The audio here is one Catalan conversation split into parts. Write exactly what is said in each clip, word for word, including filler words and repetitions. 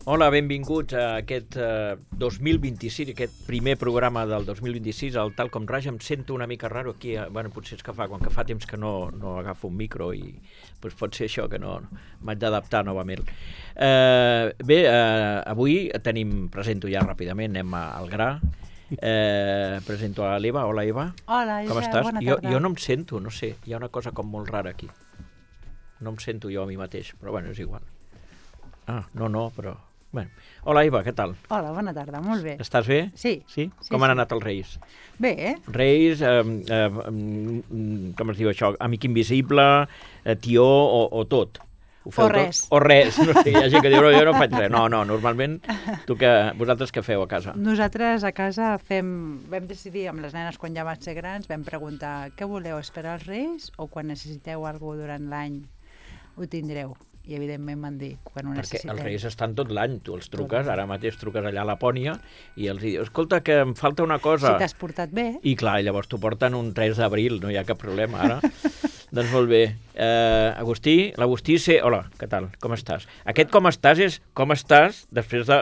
Hola, benvinguts a aquest uh, dos mil vint-i-sis, aquest primer programa del dos mil vint-i-sis, el Tal com Raja. Em sento una mica raro aquí, uh, bueno, potser és que fa, quan que fa temps que no, no agafo un micro i pues, pot ser això, que no, no m'haig d'adaptar novament. Uh, bé, uh, avui tenim, presento ja ràpidament, anem al gra. Eh, presento a l'Eva. Hola, Eva. Hola, com Josep, estàs? bona Jo, tarda. jo no em sento, no sé, hi ha una cosa com molt rara aquí. No em sento jo a mi mateix, però bueno, és igual. Ah, no, no, però... Bueno. Hola, Eva, què tal? Hola, bona tarda, molt bé. Estàs bé? Sí. Sí? sí Com sí. han anat els Reis? Bé, eh? Reis, eh, eh, com es diu això, amic invisible, eh, tió o, o tot? Ho feu O res. Tot? O res. No sé, hi ha gent que diu, no, jo no faig res. No, no, normalment, tu que, vosaltres què feu a casa? Nosaltres a casa fem... Vam decidir amb les nenes quan ja van ser grans, vam preguntar què voleu, esperar els Reis o quan necessiteu alguna cosa durant l'any ho tindreu? I evidentment van dir quan ho Perquè necessitem. els Reis estan tot l'any, tu els truques, ara mateix truques allà a Lapònia i els dius, escolta, que em falta una cosa. Si t'has portat bé. I clar, llavors t'ho porten un tres d'abril, no hi ha cap problema, ara. Doncs molt bé. Uh, Agustí, l'Agustí sé... Hola, què tal? Com estàs? Aquest com estàs és com estàs després de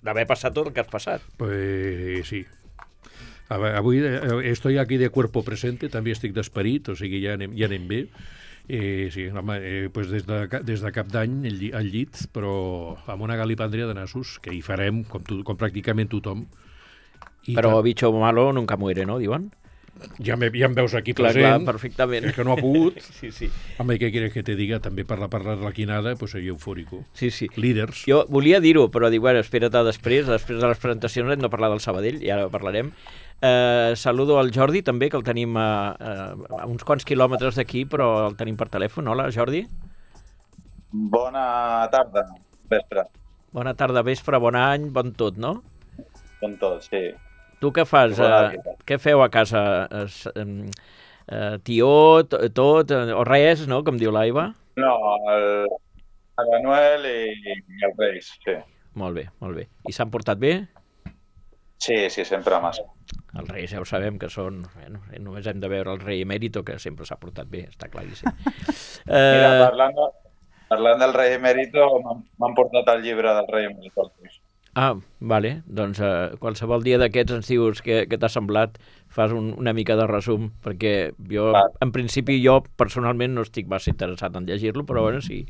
d'haver passat tot el que has passat. Pues sí. A veure, avui eh, estoy aquí de cuerpo presente, també estic d'esperit, o sigui, ja anem, ja anem bé. Eh, sí, home, eh, pues des, de, des de cap d'any al lli, llit, però amb una galipàndria de nassos, que hi farem, com, tu, com pràcticament tothom. I Però que, bicho malo nunca muere, no, diuen? ja, me, ja em veus aquí Clar, present, clar, perfectament. és que no ha pogut. Sí, sí. Home, què quieres que te diga? També per la parlar l'arlequinada, pues soy eufòrico. Sí, sí. Líders. Jo volia dir-ho, però dic, bueno, espera't a després, després de les presentacions hem de parlar del Sabadell, i ara parlarem. Eh, saludo al Jordi, també, que el tenim a, a, a uns quants quilòmetres d'aquí, però el tenim per telèfon. Hola, Jordi. Bona tarda, vespre. Bona tarda, vespre, bon any, bon tot, no? Bon tot, sí. Tu què fas? Bona Eh, tarda. què feu a casa? Es, eh, eh, tió, to- tot, eh, o res, no?, com diu l'Aiva? No, el, el Manuel i, i els Reis, sí. Molt bé, molt bé. I s'han portat bé? Sí, sí, sempre massa. Els reis ja ho sabem que són... Bueno, només hem de veure el rei emèrito, que sempre s'ha portat bé, està claríssim. Mira, eh, parlant, de, parlant del rei emèrito, m'han m'han portat el llibre del rei emèrito. ah, vale, doncs eh, qualsevol dia d'aquests ens dius què, què t'ha semblat, fas un, una mica de resum, perquè jo, Va. en principi, jo personalment no estic massa interessat en llegir-lo, però bueno, si,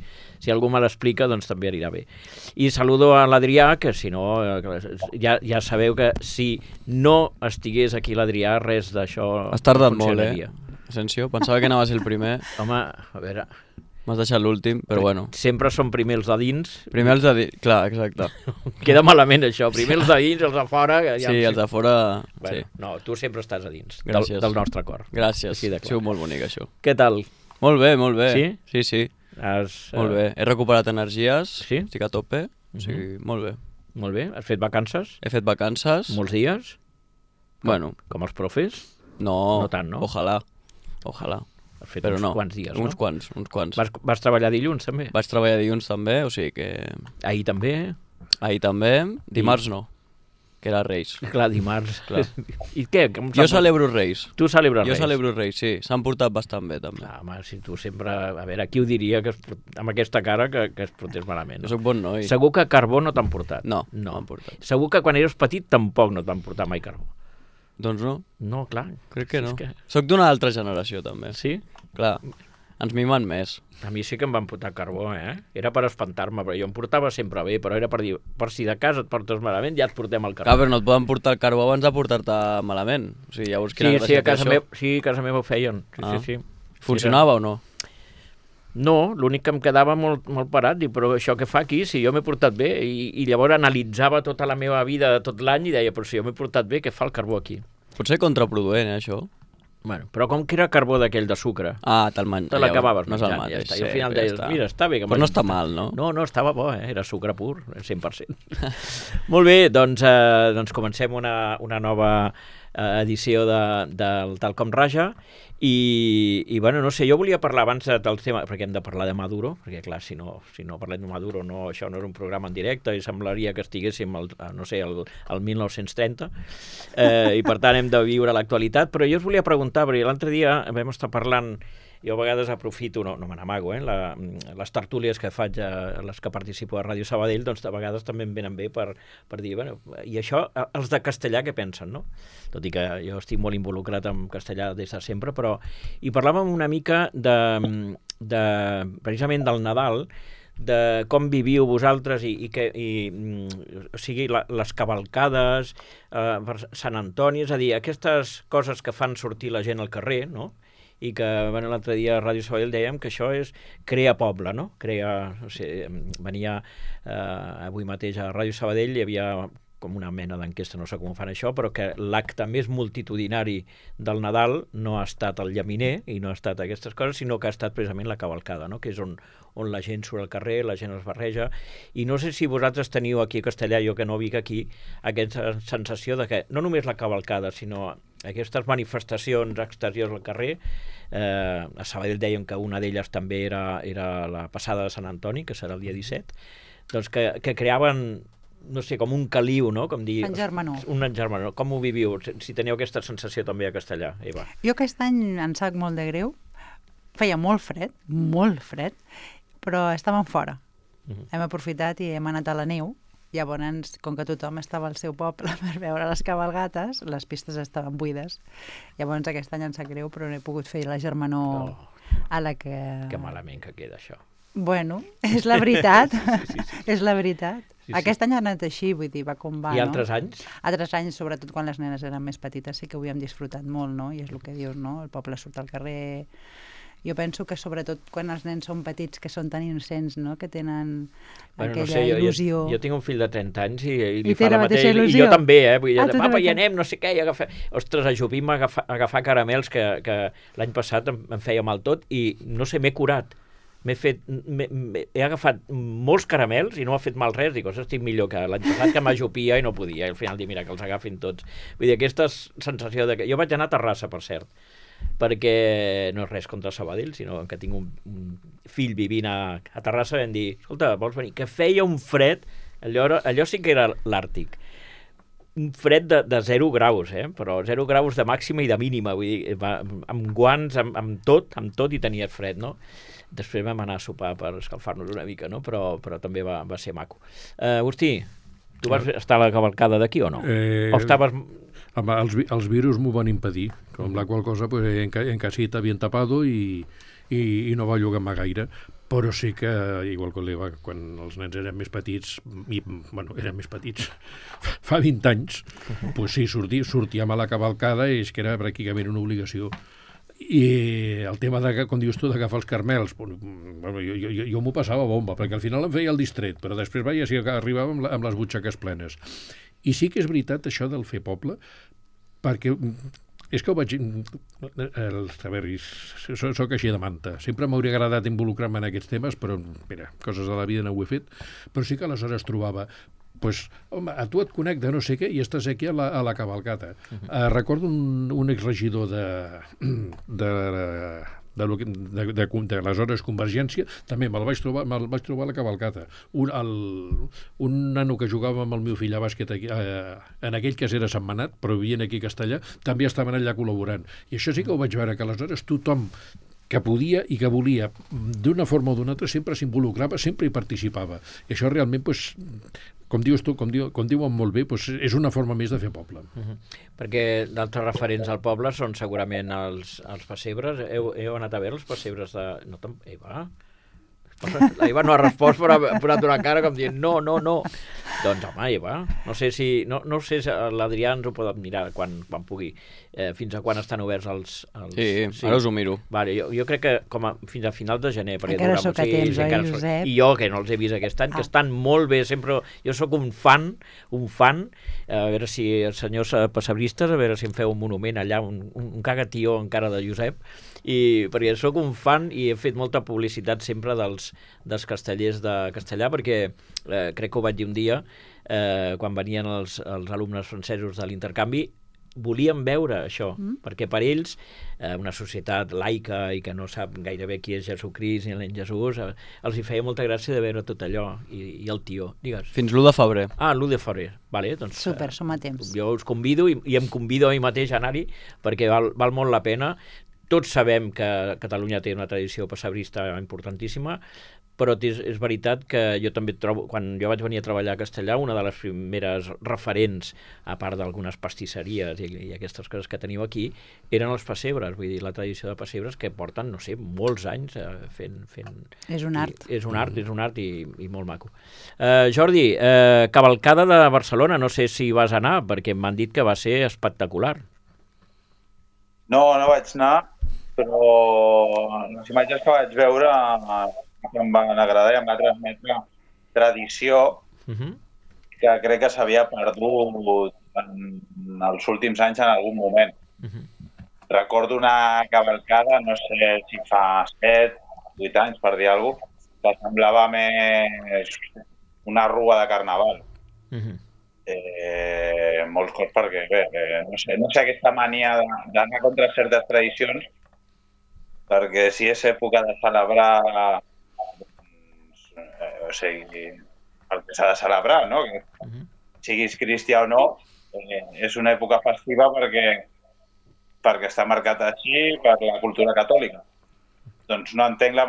si algú me l'explica, doncs també anirà bé. I saludo a l'Adrià, que si no, eh, ja, ja sabeu que si no estigués aquí l'Adrià, res d'això Has tardat no molt, eh, funcionaria. Asensio? Pensava que anava a ser el primer. Home, a veure... M'has deixat l'últim, però bueno. Sempre són primer els de dins. Primer els de dins... Clar, exacte. Queda malament això, primer els de dins, els de fora... que ja Sí, em- els de fora... Bueno, Sí. no, tu sempre estàs a dins del, Gràcies. del nostre cor. Gràcies. Així de Ha clar. sigut molt bonic, això. Què tal? Molt bé, molt bé. Sí? Sí, sí. Has, Molt eh, bé. He recuperat energies. Sí? Estic a tope. O sigui, molt bé. Molt bé. Has fet vacances? He fet vacances. Molts dies? Bueno, Com els profes? no... No tant, no? Ojalà. Ojalà. Has fet Però uns no. quants dies, Uns no? quants, uns quants. Vas, vas treballar dilluns, també? Vaig treballar dilluns també, o sigui que... Ahir també? Ahir també. Dimarts no, que era Reis. Clar, dimarts. Clar. I què? Com Jo s'ha- celebro Reis. Tu celebres Jo Reis? celebro Reis, sí. S'han portat bastant bé, també. Clar, home, si tu sempre... A veure, qui ho diria que es, port- amb aquesta cara que, que es portés malament? Jo No? sóc bon noi. Segur que carbó no t'han portat. No, no. no m'han portat. Segur que quan eres petit tampoc no t'han portat mai carbó. Doncs no, No, clar. crec que Si no. és que... Soc d'una altra generació, també. Sí? Clar, ens mimen més. A mi sí que em van portar carbó, eh? Era per espantar-me, però jo em portava sempre bé, però era per dir, per si de casa et portes malament, ja et portem el carbó. Clar, però no et poden portar el carbó abans de portar-te malament. O sigui, llavors quina Sí, sí, gràcia a casa té això? meva, sí, a casa meva ho feien. Sí, Ah. sí, sí. Funcionava o no? No, l'únic que em quedava molt, molt parat, dic, però això què fa aquí, si jo m'he portat bé? I, I llavors analitzava tota la meva vida de tot l'any i deia, però si jo m'he portat bé, què fa el carbó aquí? Pot ser contraproduent, eh, això? Bueno, però com que era carbó d'aquell de sucre, Ah, te'l man... te l'acabaves No és el menjant, mateix. ja està. I al sí, final però ja deies, està. mira, està bé que Però no m'hagi està portat. mal, no? No, no, estava bo, eh? Era sucre pur, cent per cent. Molt bé, doncs, eh, doncs comencem una, una nova eh, edició de, del Tal com Raja i, i bueno, no sé, jo volia parlar abans del tema, perquè hem de parlar de Maduro, perquè clar, si no, si no parlem de Maduro, no, això no és un programa en directe i semblaria que estiguéssim, al, no sé, al, al mil nou-cents trenta, eh, i per tant hem de viure l'actualitat, però jo us volia preguntar, perquè l'altre dia vam estar parlant jo a vegades aprofito, no, no me n'amago, eh, la, les tertúlies que faig, a les que participo a Ràdio Sabadell, doncs a vegades també em venen bé per, per dir, bueno, i això, els de castellà què pensen, no? Tot i que jo estic molt involucrat en castellà des de sempre, però... I parlàvem una mica de, de precisament del Nadal, de com viviu vosaltres i, i, que, i o sigui, la, les cavalcades, eh, per Sant Antoni, és a dir, aquestes coses que fan sortir la gent al carrer, no? I que bueno, l'altre dia a Ràdio Sabadell dèiem que això és crear poble, no? Crear, no sé, venia eh, avui mateix a Ràdio Sabadell, hi havia com una mena d'enquesta, no sé com fan això, però que l'acte més multitudinari del Nadal no ha estat el llaminer i no ha estat aquestes coses, sinó que ha estat precisament la cavalcada, no? Que és on, on la gent surt al carrer, la gent es barreja, i no sé si vosaltres teniu aquí a Castellà, jo que no vic aquí, aquesta sensació de que no només la cavalcada, sinó aquestes manifestacions exteriors al carrer, eh, a Sabadell deien que una d'elles també era, era la passada de Sant Antoni, que serà el dia disset, doncs que, que creaven no sé, com un caliu, no? Com dir, engermanor. Un engermanor. Com ho viviu? Si teniu aquesta sensació també a Castellà, Eva. Jo aquest any em sap molt de greu. Feia molt fred, molt fred, però estàvem fora. Uh-huh. Hem aprofitat i hem anat a la neu. Llavors, com que tothom estava al seu poble per veure les cabalgates, les pistes estaven buides. Llavors aquest any em sap greu, però no he pogut fer la germanor oh. a la que... Que malament que queda això. Bueno, és la veritat, sí, sí, sí. és la veritat. Sí, sí. Aquest any ha anat així, vull dir, va com va, I no? altres anys? Altres anys, sobretot quan les nenes eren més petites, sí que ho hem disfrutat molt, no? I és el que dius, no? El poble surt al carrer... Jo penso que sobretot quan els nens són petits, que són tan innocents, no? Que tenen bueno, aquella no sé, jo, il·lusió... Jo, jo tinc un fill de trenta anys i, i li I fa la mateixa il·lusió. I jo també, eh? Vull dir, ah, papa, hi anem, no sé què, i agafar... Ostres, ajupim a agafar, a agafar caramels que, que l'any passat em, em feia mal tot i, no sé, m'he curat. M'he fet, m'he, he agafat molts caramels i no m'ha fet mal res, dic, estic millor que l'any passat que m'ajupia i no podia, i al final dic, mira, que els agafin tots. Vull dir, aquesta sensació de que... Jo vaig anar a Terrassa, per cert, perquè no és res contra Sabadell, sinó que tinc un, un fill vivint a, a Terrassa, vam dir, escolta, vols venir? Que feia un fred, allò, allò sí que era l'Àrtic, un fred de, de zero graus, eh? Però zero graus de màxima i de mínima, vull dir, va, amb guants, amb, amb tot, amb tot i tenies fred, no? Després vam anar a sopar per escalfar-nos una mica, no? Però, però també va, va ser maco. Uh, Agustí, tu vas estar a la cavalcada d'aquí o no? Eh, o estaves... Home, els, els virus m'ho van impedir, com la qual cosa pues, en, en casita bien tapado i, i, i no va llogar-me gaire, però sí que, igual que l'Eva, quan els nens eren més petits, i, bueno, eren més petits, fa vint anys, pues sí, sortí, sortíem a la cavalcada i és que era pràcticament una obligació. I el tema, de, com dius tu, d'agafar els carmels, bueno, jo, jo, jo, jo m'ho passava bomba, perquè al final em feia el distret, però després veia si arribava amb, la, amb les butxaques plenes. I sí que és veritat això del fer poble, perquè és que ho vaig... El, a veure, soc, soc així de manta. Sempre m'hauria agradat involucrar-me en aquests temes, però, mira, coses de la vida no ho he fet, però sí que aleshores trobava pues, home, a tu et connecta no sé què i estàs aquí a la, a la cavalcata. Uh-huh. uh, recordo un, un exregidor de, de, de, de, de, de, de l'aleshores Convergència, també me'l vaig trobar, me'l vaig trobar a la cavalcata. Un, el, un nano que jugava amb el meu fill a bàsquet aquí, eh, en aquell cas era setmanat, però vivien aquí a Castellà, també estaven allà col·laborant. I això sí que ho vaig veure, que aleshores tothom que podia i que volia, d'una forma o d'una altra, sempre s'involucrava, sempre hi participava. I això realment, pues, com dius tu, com, diu, com diuen molt bé, pues, és una forma més de fer poble. Uh-huh. Perquè d'altres referents al poble són segurament els, els pessebres. Heu, heu anat a veure els pessebres de... No te'n... Eva? La Eva no ha respost, però ha posat una cara com dient no, no, no. Doncs home, Eva, no sé si no, no sé si l'Adrià ens ho pot mirar quan, quan pugui. Eh, fins a quan estan oberts els... els... Sí, sí, ara us ho miro. Vale, jo, jo crec que com a, fins a final de gener. Encara sóc a temps, oi, Josep? I jo, que no els he vist aquest any, ah. que estan molt bé, sempre... Jo sóc un fan, un fan, a veure si els senyors pessebristes, a veure si em feu un monument allà, un, un, un cagatió encara de Josep, i perquè sóc un fan i he fet molta publicitat sempre dels, dels castellers de Castellà, perquè eh, crec que ho vaig dir un dia, eh, quan venien els, els alumnes francesos de l'intercanvi, volien veure això, mm. perquè per ells, eh, una societat laica i que no sap gairebé qui és Jesucrist ni l'en Jesús, eh, els hi feia molta gràcia de veure tot allò, i, i el tió, digues. Fins l'u de febrer. Ah, l'u de febrer, vale, doncs... Super, som a temps. Jo us convido, i, i em convido a mi mateix a anar-hi, perquè val, val molt la pena. tots sabem que Catalunya té una tradició pessebrista importantíssima, però és, és veritat que jo també trobo, quan jo vaig venir a treballar a Castellà, una de les primeres referents, a part d'algunes pastisseries i, i aquestes coses que teniu aquí, eren els pessebres, vull dir, la tradició de pessebres que porten, no sé, molts anys eh, fent, fent... És un art. I, és un art, és un art i, i molt maco. Uh, Jordi, uh, cavalcada de Barcelona, no sé si vas anar, perquè m'han dit que va ser espectacular. No, no vaig anar, però les imatges que vaig veure que em van agradar i em va transmetre tradició uh-huh. que crec que s'havia perdut en els últims anys en algun moment. Uh-huh. Recordo una cavalcada, no sé si fa set, vuit anys, per dir alguna cosa, que semblava més una rua de carnaval. Uh-huh. eh, molts cops perquè, bé, eh, no sé, no sé aquesta mania d'anar contra certes tradicions, perquè si és època de celebrar o sigui, el que s'ha de celebrar, no? Que uh-huh. siguis cristià o no, eh, és una època festiva perquè, perquè està marcat així per la cultura catòlica. Doncs no entenc la,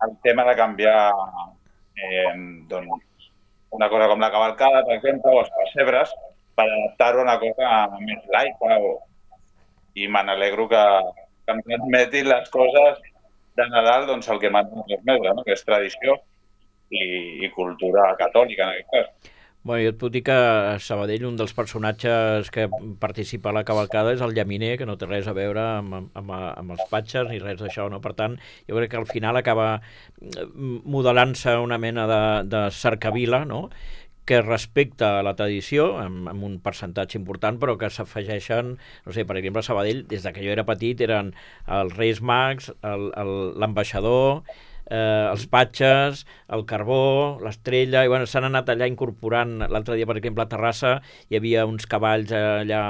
el tema de canviar eh, doncs, una cosa com la cavalcada, per exemple, o els pessebres, per adaptar-ho a una cosa més laica. O... I me n'alegro que, que em transmetin les coses de Nadal, doncs el que m'han transmès, no? Que és tradició i, i cultura catòlica, en aquest cas. Bueno, jo et puc dir que a Sabadell un dels personatges que participa a la cavalcada és el llaminer, que no té res a veure amb, amb, amb els patxes ni res d'això, no? Per tant, jo crec que al final acaba modelant-se una mena de, de cercavila, no? Que respecta la tradició, amb, amb un percentatge important, però que s'afegeixen, no sé, per exemple, a Sabadell, des de que jo era petit, eren els Reis Mags, l'ambaixador, eh, els patxes, el carbó, l'estrella, i bueno, s'han anat allà incorporant. L'altre dia, per exemple, a Terrassa hi havia uns cavalls allà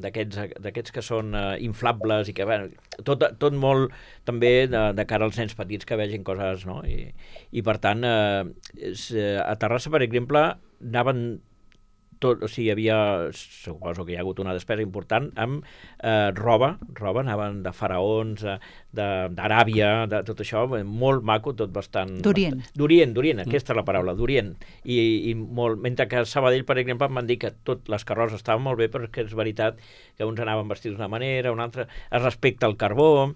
d'aquests que són eh, inflables i que, bueno, tot, tot molt també de, de cara als nens petits que vegin coses, no? I, i per tant, eh, és, a Terrassa, per exemple, anaven tot, o sigui, hi havia, suposo que hi ha hagut una despesa important amb eh, roba, roba, anaven de faraons, d'Aràbia, de, de tot això, molt maco, tot bastant... D'Orient. D'Orient, d'Orient, aquesta és la paraula, d'Orient. I, i molt, mentre que a Sabadell, per exemple, em van dir que tot les carrosses estaven molt bé, però és que és veritat que uns anaven vestits d'una manera, un altre, es respecta el carbó,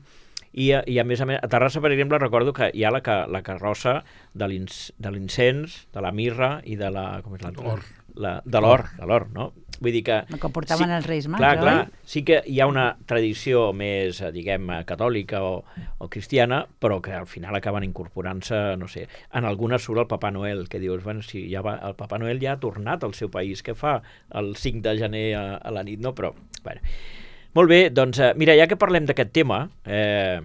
i, i a més a més, a Terrassa, per exemple, recordo que hi ha la, la carrossa de l'incens, de la mirra i de la... com és l'altra? La, de l'or, de l'or, no? Vull dir que... El que portaven sí, els Reis Mags, clar, oi? clar, sí que hi ha una tradició més, diguem, catòlica o, o cristiana, però que al final acaben incorporant-se, no sé, en algunes surt el Papa Noel, que dius, bueno, si ja va, el Papa Noel ja ha tornat al seu país, què fa el cinc de gener a, a la nit, no? Però, bueno... Molt bé, doncs, eh, mira, ja que parlem d'aquest tema, eh,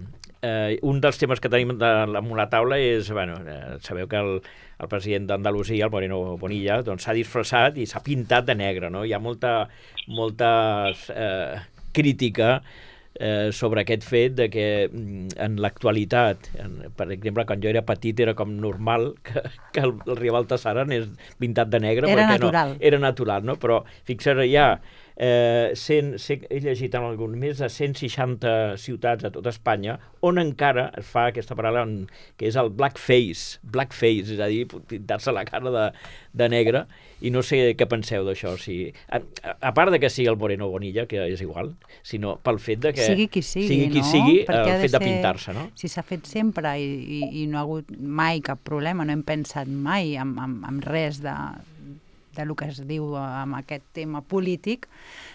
eh, un dels temes que tenim damunt la taula és, bueno, eh, sabeu que el, el president d'Andalusia, el Moreno Bonilla, doncs s'ha disfressat i s'ha pintat de negre, no? Hi ha molta, molta eh, crítica eh, sobre aquest fet de que en l'actualitat, per exemple, quan jo era petit era com normal que, que el, el Rival Baltasar anés pintat de negre. Era natural. No, era natural, no? Però fixa't, ja... Eh, cent, he llegit en algun més de cent seixanta ciutats a tota Espanya on encara es fa aquesta paraula en, que és el blackface, blackface, és a dir, pintar-se la cara de, de negre, i no sé què penseu d'això. Si, a, a part de que sigui el Moreno Bonilla, que és igual, sinó pel fet de que sigui qui sigui, sigui, qui no? sigui Perquè el ha de fet de ser, pintar-se, no? Si s'ha fet sempre i, i, i no ha hagut mai cap problema, no hem pensat mai en, en, en res de... del que es diu amb aquest tema polític,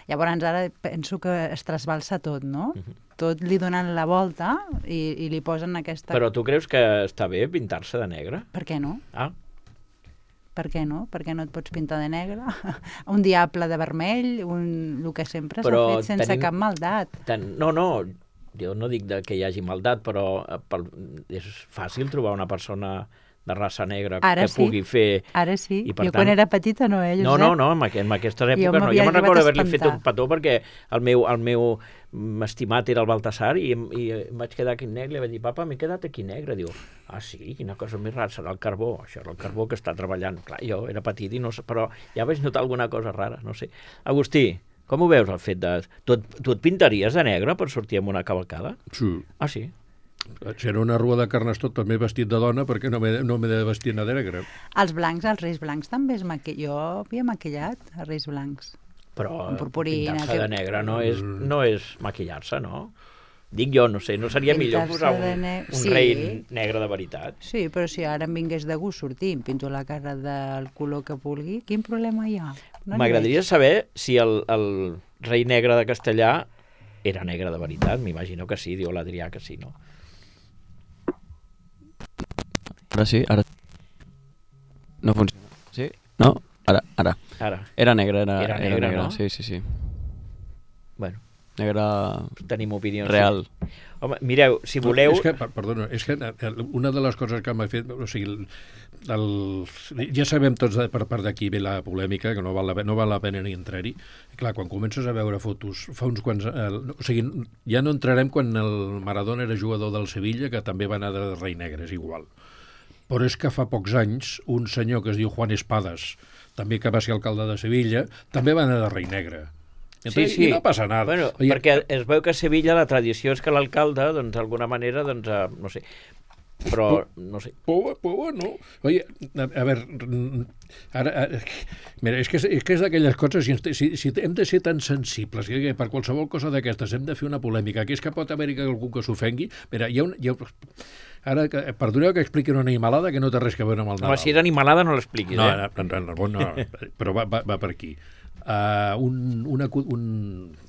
llavors ara penso que es trasbalsa tot, no? Uh-huh. Tot li donen la volta i, i li posen aquesta... Però tu creus que està bé pintar-se de negre? Per què no? Ah. Per què no? Per què no et pots pintar de negre? Un diable de vermell, un... el que sempre s'ha fet sense tenim... cap maldat. Ten... No, no, jo no dic de que hi hagi maldat, però pel... és fàcil trobar una persona... de raça negra ara que sí. pugui fer... Ara sí. I, jo tant... quan era petita no, eh, Josep? No, no, no, en, aqu en aquestes èpoques jo no. Jo me'n recordo haver-li fet un petó perquè el meu, el meu estimat era el Baltasar i, i em vaig quedar aquí negre i li vaig dir, papa, m'he quedat aquí negre. Diu, ah, sí? Quina cosa més rara, serà el carbó. Això era el carbó que està treballant. Clar, jo era petit i no sé, però ja vaig notar alguna cosa rara, no sé. Agustí, Com ho veus, el fet de... Tu, et- tu et pintaries de negre per sortir amb una cavalcada? Sí. Ah, sí? Si era una rua de carnestó també vestit de dona, perquè no m'he no m'he de vestir de negre. Els blancs, els reis blancs també es maquillen. Jo havia maquillat els reis blancs. Però Amb purpurina, pintar-se que- de negre no és, no és maquillar-se, no? Dic jo, no sé, no seria millor Pintar-se posar un, de ne- un Sí. rei negre de veritat? Sí, però si ara em vingués de gust sortir, em pinto la cara del color que vulgui, quin problema hi ha? No n'hi M'agradaria veig. saber si el, el rei negre de Castellà era negre de veritat. M'imagino que sí, diu l'Adrià que sí, no? Ara sí, ara... No funciona. Sí? No? Ara, ara. Ara, Era negre, era, Era era negre, negre, no? sí, sí, sí. bueno, Negre tenim opinions. real. Home, mireu, si voleu... És que, per- perdona, és que eh, una de les coses que m'ha fet... O sigui, el, el, ja sabem tots de, per part d'aquí ve la polèmica, que no val la, pe- no val la pena ni entrar-hi. Clar, quan comences a veure fotos, fa uns quants... El, o sigui, ja no entrarem quan el Maradona era jugador del Sevilla, que també va anar de rei negre, és igual. Però és que fa pocs anys un senyor que es diu Juan Espadas, també que va ser alcalde de Sevilla, també va anar de rei negre. Entonces, I no passa nada. Bueno, Oye, perquè es veu que a Sevilla la tradició és que l'alcalde, doncs, d'alguna manera, doncs, eh, no sé, però, no sé. Pues, pues bueno, oye, a, a ver, mm, ara, ara, mira, és que és, és, que és d'aquelles coses, si, si, si hem de ser tan sensibles, que per qualsevol cosa d'aquestes hem de fer una polèmica, que és que pot haver-hi algú que s'ofengui, mira, hi ha un... Hi ha, ara, que- perdoneu que expliqui una animalada que no té res a veure amb el Nadal. Home, si era animalada no l'expliquis, No, eh? no, no, no, no, però va, va, va per aquí. Uh, un, una, cu- un,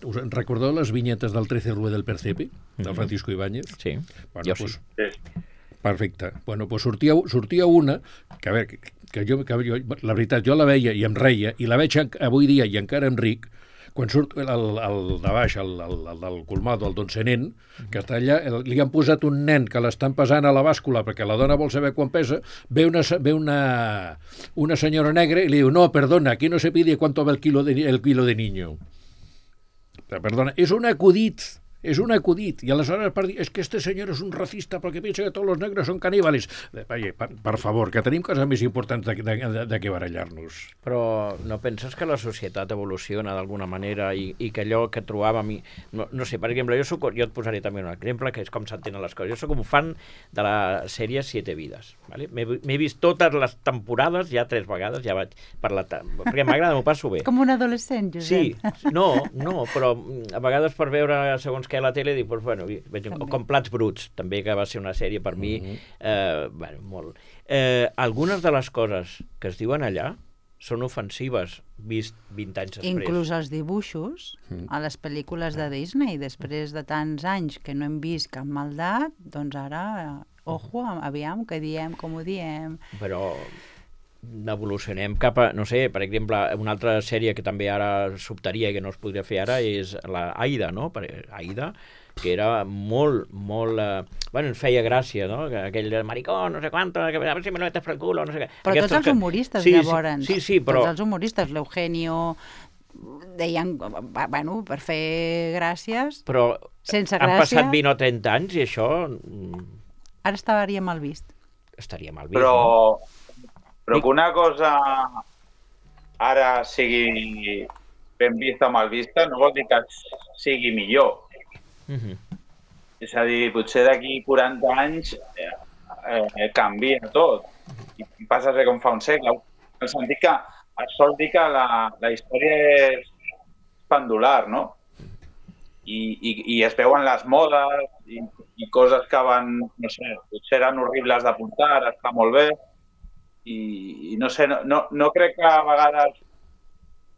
us en recordeu les vinyetes del trece Rue del Percepe, del Francisco Ibáñez? Sí, Bueno, jo pues, sí. Sí. Perfecte. Bueno, doncs sortia, sortia una, que a veure, que, que, jo, que jo, la veritat, jo la veia i em reia, i la veig en- avui dia i encara em ric, quan surt el, el de baix, el, el, el del colmado, el don Senén, que està allà, el, li han posat un nen que l'estan pesant a la bàscula perquè la dona vol saber quan pesa, ve una, se- ve una, una senyora negra i li diu, no, perdona, aquí no se pide cuánto va el kilo de, ni- el kilo de niño. Perdona, és un acudit, és un acudit. I aleshores per dir, és que este senyor és un racista perquè pensa que tots els negres són caníbales. Vaja, per, per favor, que tenim coses més importants de, de, de, de què barallar-nos. Però no penses que la societat evoluciona d'alguna manera i, i que allò que trobàvem... I, no, no sé, per exemple, jo, soc, jo et posaré també un exemple, que és com s'entenen les coses. Jo sóc un fan de la sèrie Siete Vides. ¿Vale? M'he m'he vist totes les temporades, ja tres vegades, ja vaig per la... ta- perquè m'agrada, m'ho passo bé. Com un adolescent, Sí, Josep. no, no, però mm, a vegades per veure segons què a la tele dic, doncs, bueno, veig, o També. com Plats Bruts, també que va ser una sèrie per mi, Mhm. eh, bueno, molt. Eh, algunes de les coses que es diuen allà són ofensives vist vint anys després. Inclús els dibuixos Mm. a les pel·lícules de Disney, després de tants anys que no hem vist cap maldat, doncs ara, eh, ojo, aviam, que diem, com ho diem. Però evolucionem cap a, no sé, per exemple, una altra sèrie que també ara sobtaria i que no es podria fer ara és la Aida, no? Per- Aida, que era molt, molt... Eh, bueno, ens feia gràcia, no? Que aquell maricó, no sé quanto, que a veure si me lo metes per el culo, no sé què. Però Aquestes tots els que- humoristes, sí, llavors. Sí, sí, sí, però... Tots els humoristes, l'Eugenio, deien, va- bueno, per fer gràcies, Però sense han gràcia, passat vint o trenta anys i això mm, ara estaria mal vist. estaria mal vist, no? Però, però que una cosa ara sigui ben vista o mal vista no vol dir que sigui millor. Mhm. És a dir, potser d'aquí quaranta anys eh, eh, canvia tot i passa a ser com fa un segle. En el sentit que es sol dir que la, la història és pendular, no? I, i, i es veuen les modes i, i coses que van, no sé, potser eren horribles de portar, està molt bé. I, i no sé, no, no, no crec que a vegades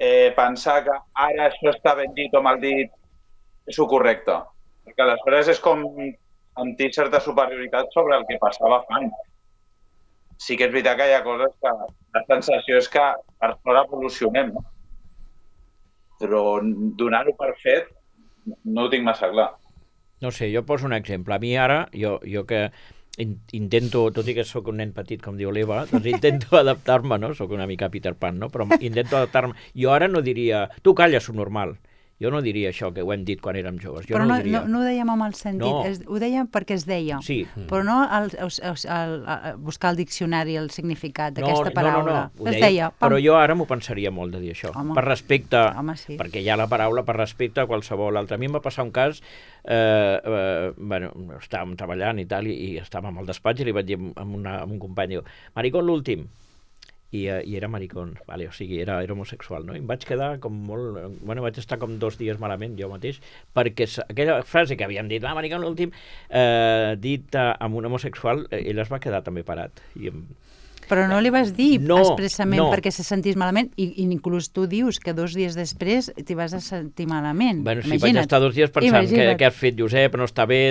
eh, pensar que ara això està ben dit o mal dit és el correcte. Perquè aleshores és com sentir certa superioritat sobre el que passava fa anys. Sí que és veritat que hi ha coses que la sensació és que per fora evolucionem, no? Però donar-ho per fet no ho tinc massa clar. No sé, jo poso un exemple. A mi ara, jo, jo que in, intento, tot i que sóc un nen petit, com diu l'Eva, doncs intento adaptar-me, no? Sóc una mica Peter Pan, no? Però intento adaptar-me. Jo ara no diria, tu calla, subnormal. Jo no diria això, que ho hem dit quan érem joves. Jo però no, no, ho diria. no, no ho dèiem amb el sentit, No. es, ho dèiem perquè es deia, Sí. però no el, el, el, el, el, buscar al diccionari el significat d'aquesta no, paraula. No, no, no. Es Deia, deia, pam. però jo ara m'ho pensaria molt de dir això. Home. Per respecte, Home, sí. perquè hi ha la paraula per respecte a qualsevol altre. A mi em va passar un cas, eh, eh, bueno, estàvem treballant i tal, i, i estàvem al despatx i li vaig dir amb, una, amb un company, diu, maricón l'últim. I, uh, i era maricón, vale, o sigui, era, era homosexual, no? I em vaig quedar com molt... Bueno, vaig estar com dos dies malament jo mateix, perquè aquella frase que havíem dit, ah, maricón l'últim, eh, dit uh, amb un homosexual, eh, ell es va quedar també parat. I em... Però no li vas dir no, expressament no. perquè se sentís malament, i, i inclús tu dius que dos dies després t'hi vas a sentir malament. Bueno, sí, Imagina't. vaig estar dos dies pensant que, Imagina't. que has fet, Josep, no està bé...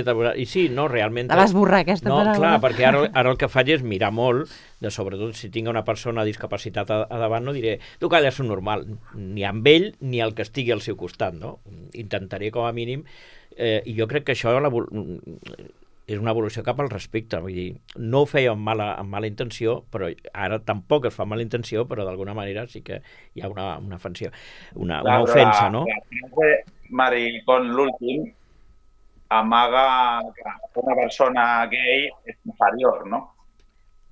I sí, no, realment... La vas borrar, aquesta no, paraula. No, clar, perquè ara, ara el que faig és mirar molt, de sobretot si tinc una persona amb discapacitat a, a davant, no diré, tu calla, és un normal, ni amb ell ni el que estigui al seu costat, no? Intentaré, com a mínim, eh, i jo crec que això la, és una evolució cap al respecte, vull dir, no ho feia amb mala, amb mala intenció, però ara tampoc es fa amb mala intenció, però d'alguna manera sí que hi ha una, una ofensió, una, una ofensa, no? La frase maricón l'últim amaga que una persona gay és inferior, no?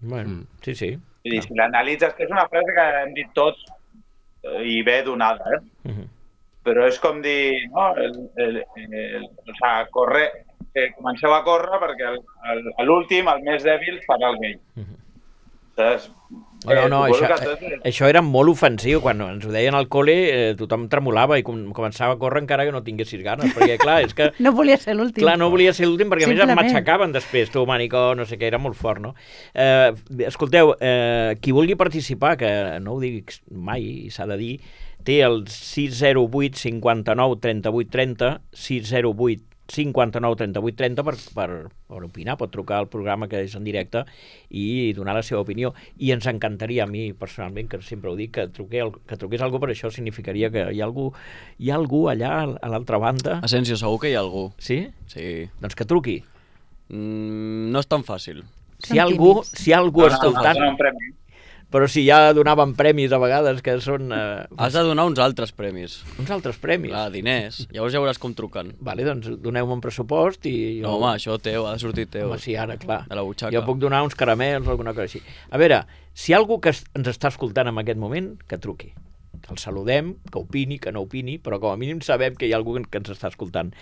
Bueno, sí, sí. Vull dir, si l'analitzes, que és una frase que hem dit tots i bé donada, eh? Uh-huh. Però és com dir, no? El, el, el, o sea, corre, eh, comenceu a córrer perquè el, el, l'últim, el més dèbil, farà el gay. Uh-huh. Saps? No, no, Eh, això, tot... eh, això era molt ofensiu. Quan ens ho deien al col·le, eh, tothom tremolava i com, començava a córrer encara que no tinguessis ganes, perquè clar, és que... No volia ser l'últim. Clar, no volia ser l'últim perquè a més em Simplement. matxacaven després, tu, manicó, no sé què, era molt fort, no? Eh, escolteu, eh, qui vulgui participar, que no ho dic mai, i s'ha de dir, té el sis zero vuit cinquanta-nou trenta-vuit trenta, sis zero vuit cinquanta-nou trenta-vuit trenta per, per, per opinar, pot trucar al programa que és en directe i donar la seva opinió, i ens encantaria a mi personalment, que sempre ho dic, que, truqué, que truqués algú, per això significaria que hi ha algú, hi ha algú allà a l'altra banda. Asensio, segur que hi ha algú. Sí? Sí. Doncs que truqui. Mm, no és tan fàcil. Si hi ha algú, si hi ha algú Dona, escoltant, dona un premi. però si ja donaven premis a vegades que són eh, Has de donar uns altres premis. uns altres premis. Clar, diners. Llavors ja veuràs com truquen. Vale, doncs doneu-me un pressupost i... Jo... No, home, això teu, ha de sortir teu. Home, sí, ara, clar. De la butxaca. Jo puc donar uns caramels o alguna cosa així. A veure, si hi ha algú que es- ens està escoltant en aquest moment, que truqui. Que el saludem, que opini, que no opini, però com a mínim sabem que hi ha algú que ens està escoltant.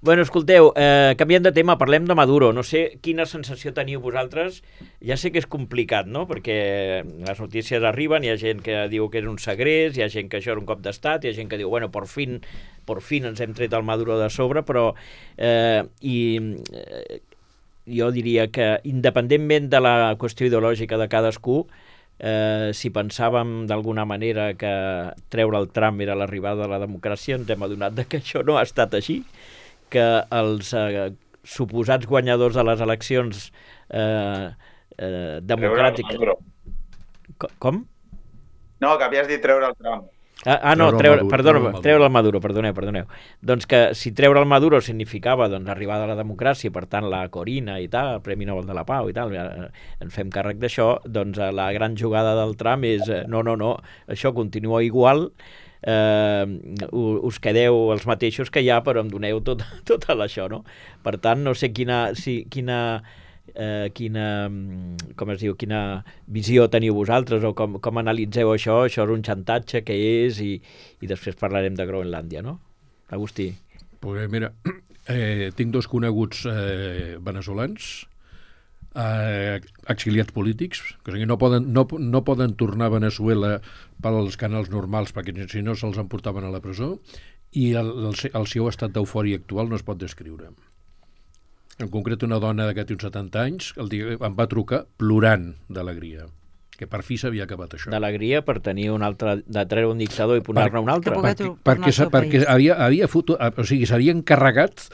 Bueno, escolteu, eh, canviant de tema, parlem de Maduro. No sé quina sensació teniu vosaltres. Ja sé que és complicat, no?, perquè les notícies arriben, hi ha gent que diu que és un segrest, hi ha gent que això és un cop d'estat, hi ha gent que diu, bueno, por fin, por fin ens hem tret el Maduro de sobre, però eh, i, eh, jo diria que independentment de la qüestió ideològica de cadascú, eh, si pensàvem d'alguna manera que treure el Trump era l'arribada de la democràcia, ens hem adonat de que això no ha estat així, que els eh, suposats guanyadors de les eleccions eh, eh, democràtiques... Treure el Maduro. Co- Com? No, que havies dit treure el Trump. Ah, ah no, Treure treure, el Maduro, perdona, treure el Maduro. treure el Maduro, perdoneu, perdoneu. Doncs que si treure el Maduro significava doncs, arribada a la democràcia, per tant la Corina i tal, el Premi Nobel de la Pau i tal, eh, en fem càrrec d'això, doncs eh, la gran jugada del Trump és eh, no, no, no, això continua igual, eh, us quedeu els mateixos que hi ha, però em doneu tot, tot això, no? Per tant, no sé quina, si, quina, eh, quina, com es diu, quina visió teniu vosaltres o com, com analitzeu això, això és un xantatge, què és, i, i després parlarem de Groenlàndia, no? Agustí. Pues mira, eh, tinc dos coneguts eh, veneçolans, eh, exiliats polítics, que o sigui, no, poden, no, no poden tornar a Veneçuela pels canals normals, perquè si no se'ls emportaven a la presó, i el, el, el seu estat d'eufòria actual no es pot descriure. En concret, una dona que té uns setanta anys el dia, em va trucar plorant d'alegria, que per fi s'havia acabat això. D'alegria per tenir un altre, de treure un dictador i posar-ne un altre. Que poder perquè, tornar perquè, al seu perquè país. havia, havia foto, o sigui, s'havia encarregat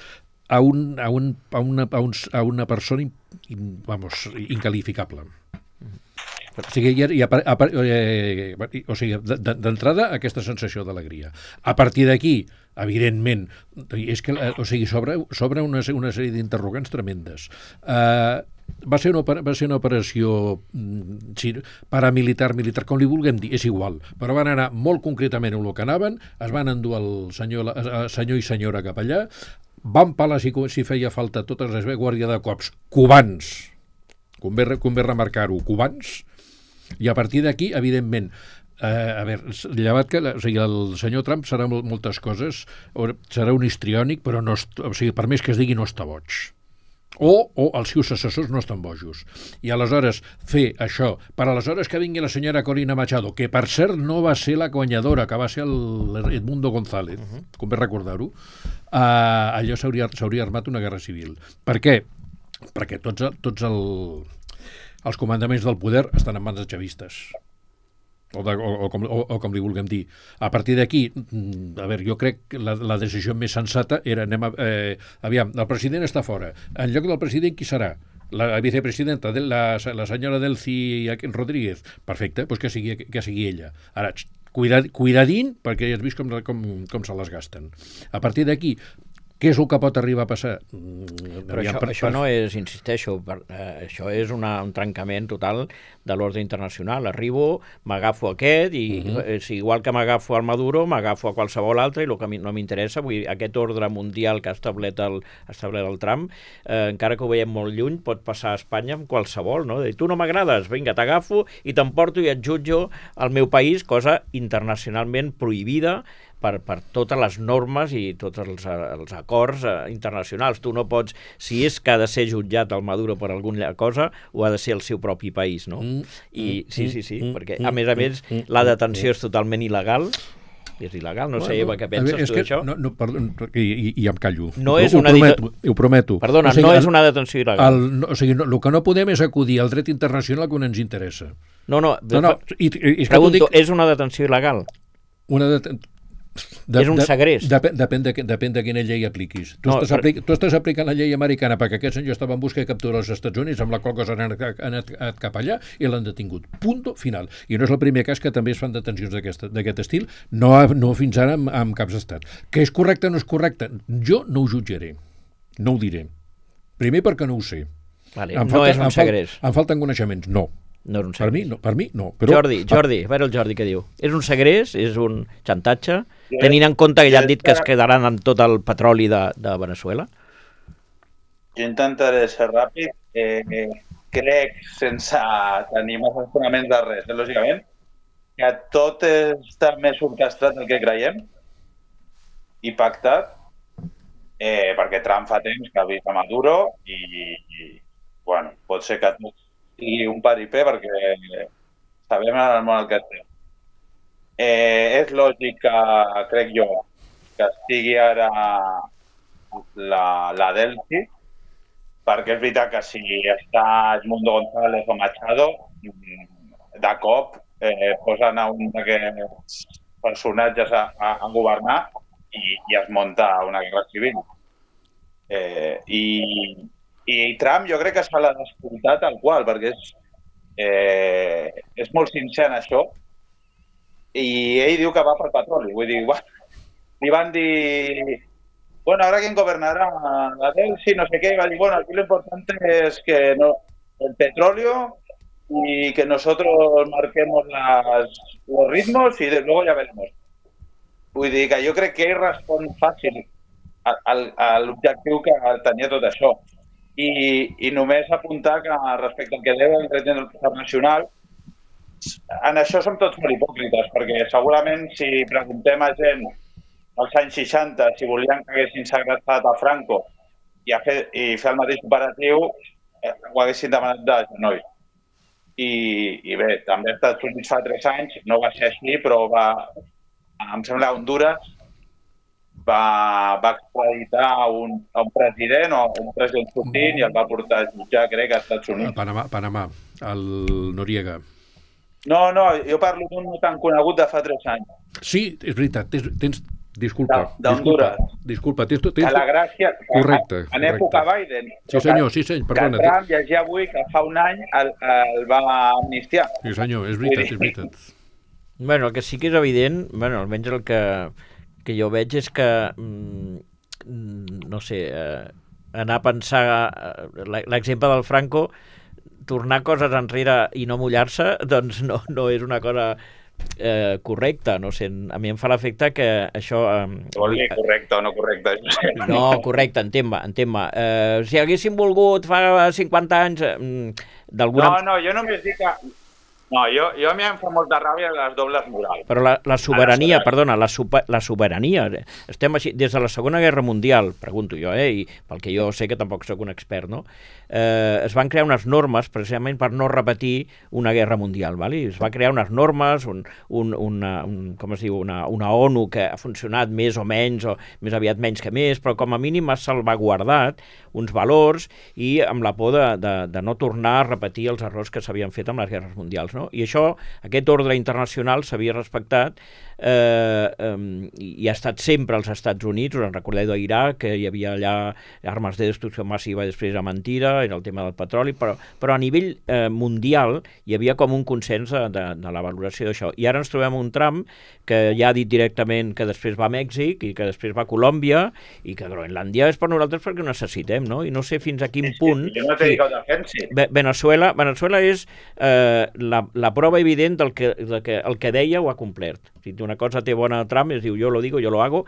a, un, a, un, a, una, a, uns, a una persona in, in, vamos, incalificable. O sigui, hi ha, hi ha, a, a, eh, o sigui, d'entrada aquesta sensació d'alegria. A partir d'aquí, evidentment, és que o sigui, sobre, sobre una, una sèrie d'interrogants tremendes. Uh, va ser una, va ser una operació sí, paramilitar, militar, com li vulguem dir, és igual, però van anar molt concretament en el que anaven, es van endur el senyor, el senyor i senyora cap allà, van pelar si, si feia falta totes les guàrdia de cops, cubans, convé, convé remarcar-ho, cubans, i a partir d'aquí, evidentment, eh, a veure, llevat que o sigui, el senyor Trump serà moltes coses, serà un histriònic, però no, o sigui, per més que es digui no està boig. O, o els seus assessors no estan bojos. I aleshores fer això, per aleshores que vingui la senyora Corina Machado, que per cert no va ser la guanyadora, que va ser el Edmundo González, uh-huh. com bé recordar-ho, uh, allò s'hauria armat una guerra civil. Per què? Perquè tots, tots el, els comandaments del poder estan en mans de xavistes. O, de, o, o, com, o, o com li vulguem dir. A partir d'aquí, a veure, jo crec que la, la decisió més sensata era, anem a, eh, aviam, el president està fora. En lloc del president, qui serà? La vicepresidenta, de la, la senyora Delcy Rodríguez. Perfecte, doncs que sigui, que sigui ella. Ara, cuidad, cuidadín, perquè ja has vist com, com, com se les gasten. A partir d'aquí, què és el que pot arribar a passar? Però això, per, això no és, insisteixo, per, eh, això és una, un trencament total de l'ordre internacional. Arribo, m'agafo aquest i uh-huh. eh, si igual que m'agafo al Maduro, m'agafo a qualsevol altre i el que no m'interessa, vull dir, aquest ordre mundial que ha establert el, ha establert el Trump, eh, encara que ho veiem molt lluny, pot passar a Espanya amb qualsevol, no? De dir, tu no m'agrades, vinga, t'agafo i t'emporto i et jutjo al meu país, cosa internacionalment prohibida per, per totes les normes i tots els, els acords eh, internacionals. Tu no pots, si és que ha de ser jutjat el Maduro per alguna cosa, ho ha de ser el seu propi país, no? Mm, I sí, sí, sí, mm, perquè a més a més la detenció és totalment il·legal. És il·legal, no sé, Eva, què penses veure, tu d'això? No, no, perdó, i, i, i em callo. No és ho, una ho prometo, ho prometo. Perdona, o sigui, no és una detenció il·legal. El, no, o sigui, no, el que no podem és acudir al dret internacional que no ens interessa. No, no, no, no i, i, i pregunto, dic... és una detenció il·legal? Una detenció... De, és un segrest. De, de, depèn, de, depèn de quina llei apliquis. Tu, no, estàs per... apli tu estàs aplicant la llei americana perquè aquest senyor estava en busca de capturar als Estats Units, amb la qual cosa han anat cap allà i l'han detingut. Punto final. I no és el primer cas que també es fan detencions d'aquest estil, no, no fins ara amb, amb caps d'estat. Que és correcte o no és correcte? Jo no ho jutjaré. No ho diré. Primer perquè no ho sé. Vale, no falta, és un segrest. Em, em falten coneixements. No. No és un per mi no, per mi no. Però... Jordi, Jordi, a veure el Jordi què diu. És un segrest? És un xantatge? Sí, tenint en compte que ja han dit que es quedaran amb tot el petroli de, de Venezuela? Jo intentaré ser ràpid. Eh, crec, sense tenir massa fonaments de res, eh, lògicament, que tot està més orquestrat del que creiem i pactat, eh, perquè Trump fa temps que ha vist a Maduro i, i bueno, pot ser que tot sigui un paripé perquè sabem en el món el que estem. Eh, és lògic que, crec jo, que estigui ara la, la Delcy, perquè és veritat que si està Edmundo González o Machado, de cop eh, posen a un d'aquests personatges a, a, a governar i, i es munta una guerra civil. Eh, i, I Trump jo crec que se l'ha d'escoltar tal qual, perquè és, eh, és molt sincer en això, i ell diu que va pel petroli. Vull dir, bueno, li van dir, bueno, ahora quien gobernará la Delcy, no sé qué, y va a decir, bueno, aquí lo importante es que no, el petróleo y que nosotros marquemos las, los ritmos y de, luego ya veremos. Vull dir que jo crec que ell respon fàcil a l'objectiu que tenia tot això. I, i només apuntar que respecte al que deu el dret internacional, en això som tots molt hipòcrites, perquè segurament si preguntem a gent als anys seixanta si volien que haguessin segrestat a Franco i, a fer, i fer el mateix operatiu, eh, ho haguessin demanat de genoll. I, I bé, també als Estats Units fa tres anys, no va ser així, però va, em sembla, Honduras va, va extraditar a un, a un president o un president Putin i el va portar a jutjar, crec, als Estats Units. A Panamà, Panamà, el Noriega. No, no, jo parlo d'un no tan conegut de fa tres anys. Sí, és veritat, tens, tens disculpa, d'Honduras. Disculpa, tens, tens... A la Gràcia, correcte, en correcte. Època Biden. Sí senyor, sí senyor, perdona. Que Trump llegia avui que fa un any el, el va amnistiar. Sí senyor, és veritat, és veritat. Bueno, el que sí que és evident, bueno, almenys el que, que jo veig és que, mm, no sé, eh, anar a pensar l'exemple del Franco, tornar coses enrere i no mullar-se, doncs no, no és una cosa eh, correcta, no sé, a mi em fa l'efecte que això... Eh, Vol dir correcte o no correcte? No, correcte, entén-me, entén-me. Eh, si haguéssim volgut fa cinquanta anys... Eh, d'alguna... No, no, jo només dic que... No, jo, jo a mi em fa molta ràbia les dobles morals. Però la, la sobirania, perdona, la, super, la sobirania, estem així, des de la Segona Guerra Mundial, pregunto jo, eh, i pel que jo sé que tampoc sóc un expert, no? Eh, es van crear unes normes precisament per no repetir una guerra mundial, ¿vale? Es va crear unes normes, un, un, una, un, com es diu, una, una ONU que ha funcionat més o menys, o més aviat menys que més, però com a mínim ha salvaguardat uns valors i amb la por de, de, de no tornar a repetir els errors que s'havien fet amb les guerres mundials, no? I això, aquest ordre internacional s'havia respectat eh, eh, i ha estat sempre als Estats Units. Us en recordeu d'Iraq, que hi havia allà armes de destrucció massiva i després era mentira, era el tema del petroli, però, però a nivell eh, mundial hi havia com un consens de, de, de la valoració d'això. I ara ens trobem un Trump que ja ha dit directament que després va a Mèxic i que després va a Colòmbia i que Groenlàndia és per nosaltres perquè ho necessitem, no? I no sé fins a quin punt... Jo no t'he dit que ho defensi. Venezuela, Venezuela és eh, la, la prova evident del que, del que el que deia ho ha complert. Si una cosa té bona Trump, es diu jo lo digo, yo lo hago,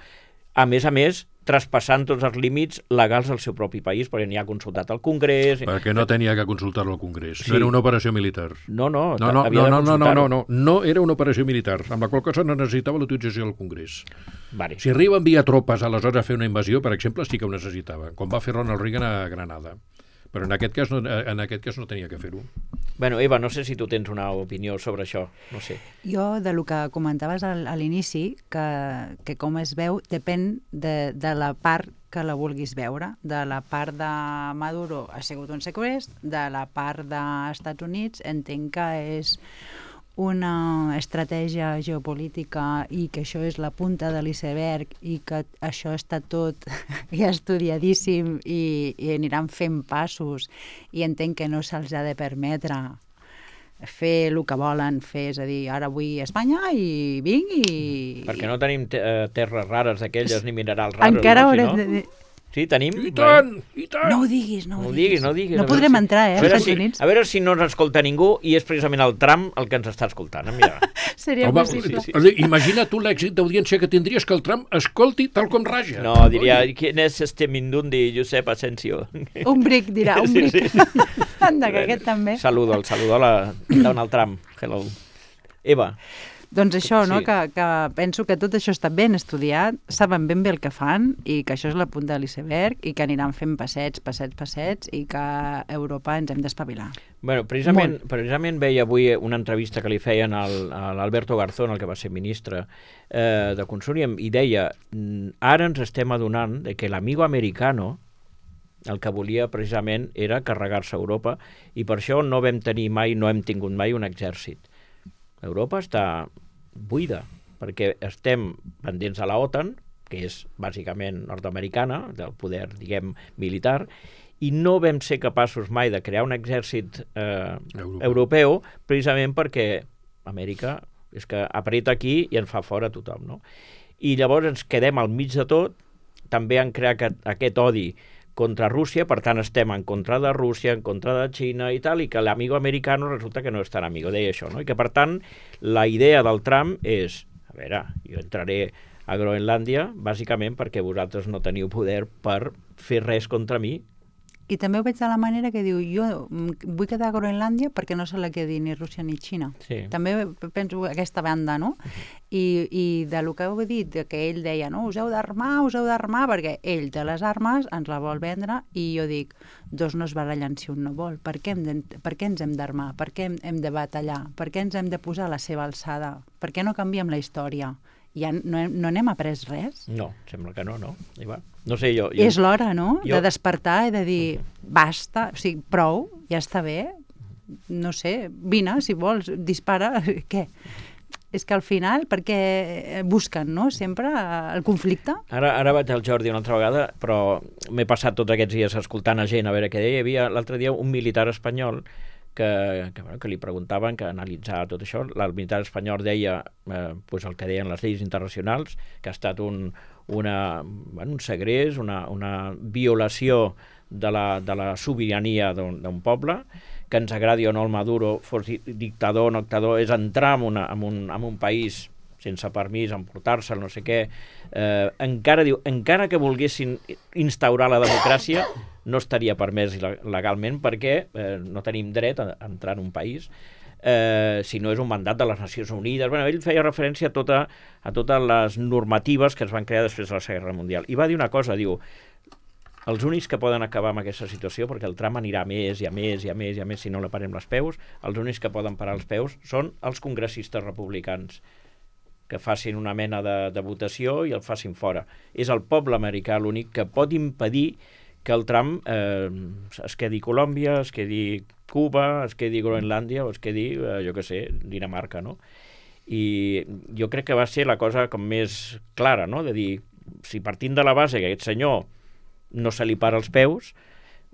a més a més, traspassant tots els límits legals del seu propi país, perquè n'hi ha consultat al Congrés... Perquè no tenia que consultar-lo al Congrés. Sí. No era una operació militar. No, no, no, no, havia no, de no, no, no, no, no. no era una operació militar, amb la qual cosa no necessitava l'autorització del Congrés. Vale. Si arriba a enviar tropes aleshores a fer una invasió, per exemple, sí que ho necessitava, quan va fer Ronald Reagan a Granada. Però en aquest cas no, en aquest cas no tenia que fer-ho. Bueno, Eva, no sé si tu tens una opinió sobre això, no sé. Jo, de lo que comentaves al, a l'inici, que, que com es veu, depèn de, de la part que la vulguis veure. De la part de Maduro ha sigut un segrest, de la part dels Estats Units entenc que és una estratègia geopolítica i que això és la punta de l'iceberg i que això està tot ja estudiadíssim i, i aniran fent passos i entenc que no se'ls ha de permetre fer el que volen fer, és a dir, ara vull a Espanya i vinc i... Perquè no tenim te terres rares d'aquelles ni minerals raros. Encara no? haurem Si no? de... Sí, tenim... I tant, i tant! No ho diguis, no ho No ho diguis. diguis, no ho diguis. No podrem si, entrar, eh, a veure, als si, Estats Units. a veure si no ens escolta ningú i és precisament el Trump el que ens està escoltant. Mira. Seria Home, possible. sí, sí. Imagina tu l'èxit d'audiència que tindries que el Trump escolti tal com raja. No, diria, ¿quién es este Mindundi Josep Asensio? Un bric, dirà, un Sí, bric. sí. Anda, que aquest també. Saludo, el saludo a la Donald Trump. Hello. Eva. Doncs això, no? Sí. Que, que penso que tot això està ben estudiat, saben ben bé el que fan i que això és la punta de l'iceberg i que aniran fent passets, passets, passets i que a Europa ens hem d'espavilar. Bueno, precisament, precisament veia avui una entrevista que li feien al, a l'Alberto Garzón, el que va ser ministre eh, de Consum, i deia, ara ens estem adonant de que l'amigo americano el que volia precisament era carregar-se a Europa i per això no vam tenir mai, no hem tingut mai un exèrcit. Europa està buida, perquè estem pendents a la OTAN, que és bàsicament nord-americana, del poder, diguem, militar, i no vam ser capaços mai de crear un exèrcit eh, europeu. europeu, precisament perquè Amèrica és que apreta aquí i ens fa fora tothom, no? I llavors ens quedem al mig de tot, també han creat aquest, aquest odi contra Rússia, per tant estem en contra de Rússia, en contra de Xina i tal, i que l'amigo americano resulta que no és tan amigo, deia això, no? I que per tant la idea del Trump és, a veure, jo entraré a Groenlàndia bàsicament perquè vosaltres no teniu poder per fer res contra mi. I també ho veig de la manera que diu, jo vull quedar a Groenlàndia perquè no se la quedi ni Rússia ni Xina. Sí. També penso aquesta banda, no? I, i de lo que heu dit, que ell deia, no, us heu d'armar, us heu d'armar, perquè ell té les armes, ens la vol vendre, i jo dic, dos no es barallen si un no vol. Per què, hem de, per què ens hem d'armar? Per què hem, hem de batallar? Per què ens hem de posar a la seva alçada? Per què no canviem la història? Ja no, no n'hem après res? No, sembla que no, no. I va. No sé, jo... jo... És l'hora, no?, jo... de despertar i de dir, basta, o sigui, prou, ja està bé, no sé, vine, si vols, dispara, què? És que al final, perquè busquen, no?, sempre el conflicte. Ara, ara vaig al Jordi una altra vegada, però m'he passat tots aquests dies escoltant a gent a veure què deia. Hi havia l'altre dia un militar espanyol que, que, bueno, que li preguntaven, que analitzava tot això. El militar espanyol deia eh, pues el que deien les lleis internacionals, que ha estat un, una, bueno, un segrest, una, una violació de la, de la sobirania d'un poble, que ens agradi o no el Maduro, fos dictador o no dictador, és entrar en, una, en, un, en un país sense permís, emportar-se'l, no sé què. Eh, encara, diu, encara que volguessin instaurar la democràcia, no estaria permès legalment perquè eh, no tenim dret a entrar en un país, eh, si no és un mandat de les Nacions Unides. Bueno, ell feia referència a, tota, a totes les normatives que es van crear després de la Segona Guerra Mundial. I va dir una cosa, diu, els únics que poden acabar amb aquesta situació, perquè el tram anirà més i a més i a més i a més si no la parem els peus, els únics que poden parar els peus són els congressistes republicans, que facin una mena de, de votació i el facin fora. És el poble americà l'únic que pot impedir que el tram eh, es quedi Colòmbia, es quedi Cuba, es quedi Groenlàndia o es quedi, eh, jo què sé, Dinamarca, no? I jo crec que va ser la cosa com més clara, no? De dir, si partint de la base que aquest senyor no se li para els peus,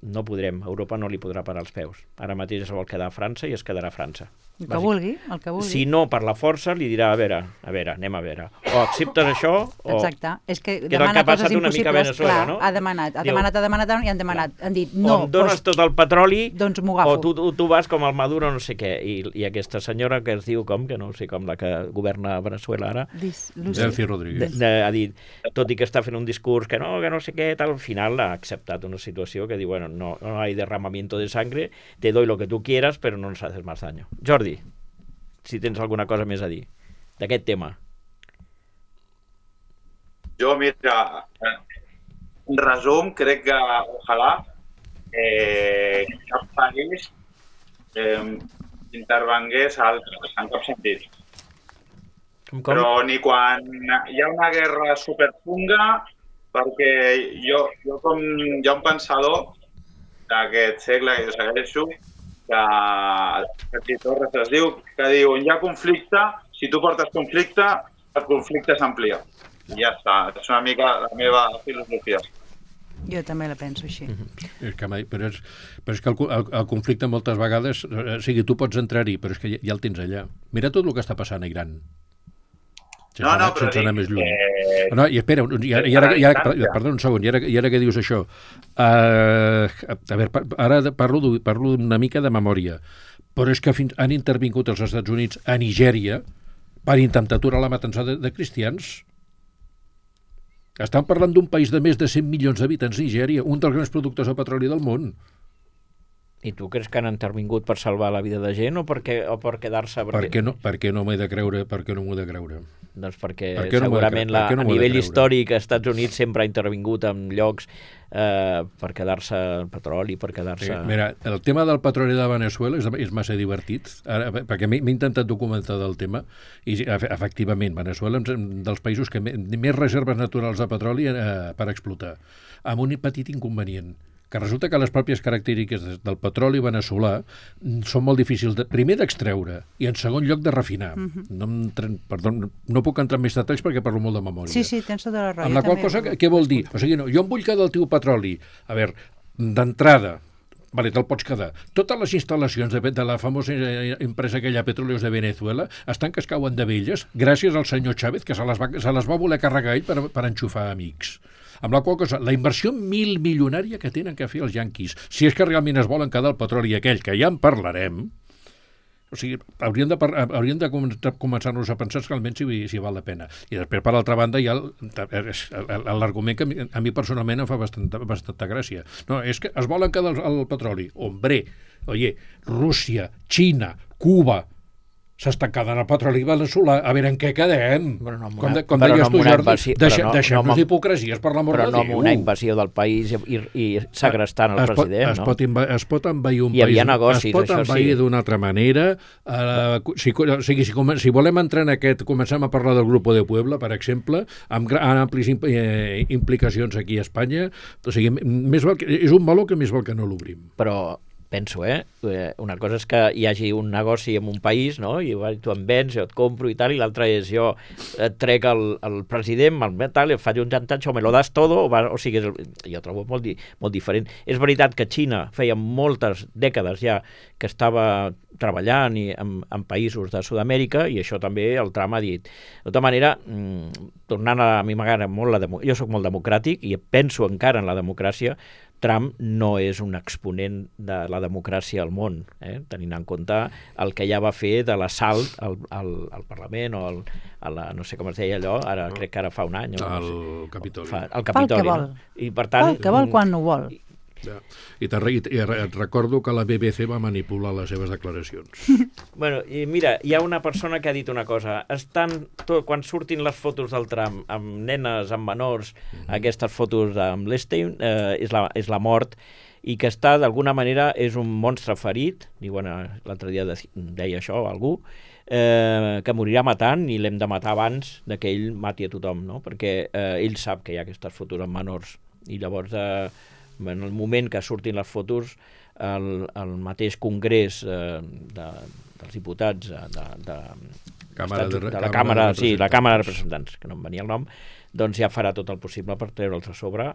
no podrem, Europa no li podrà parar els peus. Ara mateix es vol quedar a França i es quedarà a França. El que vulgui, el que vulgui. Si no, per la força, li dirà, a veure, a veure, anem a veure. O acceptes això, o... Exacte. És que, que demana coses una mica a Venezuela, clar, no? ha demanat, ha Diu, demanat, ha demanat, i han demanat, clar. Han dit, no, o em dones doncs, tot el petroli, doncs m'ho agafo. o tu, tu, tu vas com el Maduro no sé què. I, I aquesta senyora que es diu com, que no sé com, la que governa Venezuela ara, Dis, Lucy. Delcy Rodríguez. de, de, ha dit, tot i que està fent un discurs que no, que no sé què, tal, al final ha acceptat una situació que diu, bueno, no, no hay derramamiento de sangre, te doy lo que tú quieras, pero no nos haces más daño. Jordi, si tens alguna cosa més a dir d'aquest tema. Jo, mira, en resum, crec que ojalà eh, cap país eh, intervengués al, en cap sentit. Com, com? Però ni quan hi ha una guerra superfunga, perquè jo, jo com hi ha un pensador d'aquest segle que jo segueixo, que, que Torres es diu, que diu, on hi ha conflicte, si tu portes conflicte, el conflicte s'amplia. I ja està, és una mica la meva filosofia. Jo també la penso així. Mm-hmm. És que mai, però, és, però és que el, el, el conflicte moltes vegades, o sigui, tu pots entrar-hi, però és que ja, ja el tens allà. Mira tot el que està passant a Iran. Sense no, no, anar, però sense anar més lluny. Eh... No, i espera, i ara, i ara, i ara, perdó un segon, i ara, i ara que dius això, uh, a veure, ara parlo, parlo una mica de memòria, però és que fins, han intervingut els Estats Units a Nigèria per intentar aturar la matança de, de cristians. Estan parlant d'un país de més de cent milions d'habitants, Nigèria, un dels grans productors de petroli del món. I tu creus que han intervingut per salvar la vida de gent o per, què, o per quedar-se... Perquè... Per què no, per què no m'he de creure? Per què no m'ho he de creure? Doncs perquè per què no segurament de, la, no a nivell històric als Estats Units sempre ha intervingut en llocs eh, per quedar-se el petroli, per quedar-se... Sí, mira, el tema del petroli de Venezuela és, és massa divertit, ara, perquè m'he intentat documentar del tema i efectivament Venezuela és un dels països que més reserves naturals de petroli eh, per explotar, amb un petit inconvenient, que resulta que les pròpies característiques del petroli veneçolà són molt difícils, de, primer d'extreure i en segon lloc de refinar. Mm-hmm. no, em, perdó, no puc entrar en més detalls perquè parlo molt de memòria. Sí, sí, tens tota la raó. Amb la qual cosa, què vol dir? O sigui, no, jo em vull quedar el teu petroli. A veure, d'entrada, vale, te'l pots quedar. Totes les instal·lacions de, de la famosa empresa aquella Petróleos de Venezuela estan que es cauen de velles gràcies al senyor Chávez, que se les va, se les va voler carregar ell per, per enxufar amics. Amb la qual cosa, la inversió mil milionària que tenen que fer els yanquis, si és que realment es volen quedar el petroli aquell, que ja en parlarem, o sigui, hauríem de, hauríem de començar-nos a pensar realment si, si val la pena. I després, per l'altra banda, hi ha l'argument que a mi personalment em fa bastanta, bastanta gràcia. No, és que es volen quedar el, el petroli. Hombre, oye, Rússia, Xina, Cuba, s'estan quedant el petroli veneçolà, a veure en què quedem. Però no com de, com deies no tu, Jordi, invasió, deixem, no, deixem-nos no, d'hipocresies per l'amor de Déu. Però no amb una invasió del país i, i segrestant el es president, pot, es no? Pot inva, es pot envair un Hi havia país, negocis, es pot això envair sí. d'una altra manera. Uh, si, o sigui, si, si volem entrar en aquest, comencem a parlar del Grupo de Puebla, per exemple, amb, amb amplis imp, eh, implicacions aquí a Espanya. O sigui, més val que, és un meló que més val que no l'obrim. Però penso, eh? Una cosa és que hi hagi un negoci en un país, no? I tu em vens, jo et compro i tal, i l'altra és jo et trec el, el president, el tal, i faig un jantatge, o me lo das todo, o, va, o sigui, jo trobo molt, di, molt diferent. És veritat que Xina feia moltes dècades ja que estava treballant i en, en països de Sud-amèrica, i això també el Trump ha dit. De tota manera, mmm, tornant a, a mi m'agrada molt la democràcia, jo sóc molt democràtic i penso encara en la democràcia. Trump no és un exponent de la democràcia al món, eh? Tenint en compte el que ja va fer de l'assalt al, al, al Parlament o al, a la, no sé com es deia allò, ara crec que ara fa un any. O al no sé, Capitoli. Fa, al Capitoli, que vol. No? I per tant... El que vol quan no vol. Ja. I, te, i, i et recordo que la B B C va manipular les seves declaracions. Bueno, i mira, hi ha una persona que ha dit una cosa. Estan, tot, quan surtin les fotos del Trump amb nenes, amb menors, mm-hmm. aquestes fotos amb l'Estein, eh, és, la, és la mort, i que està, d'alguna manera, és un monstre ferit, diuen, l'altre dia de, deia això algú, eh, que morirà matant i l'hem de matar abans de que ell mati a tothom, no? Perquè eh, ell sap que hi ha aquestes fotos amb menors. I llavors... Eh, en el moment que surtin les fotos, el, el mateix Congrés eh, de, dels diputats de, de, de, Càmera de, de, de la Càmera Càmera, de sí, la Càmera de Representants, que no em venia el nom, doncs ja farà tot el possible per treure'ls a sobre,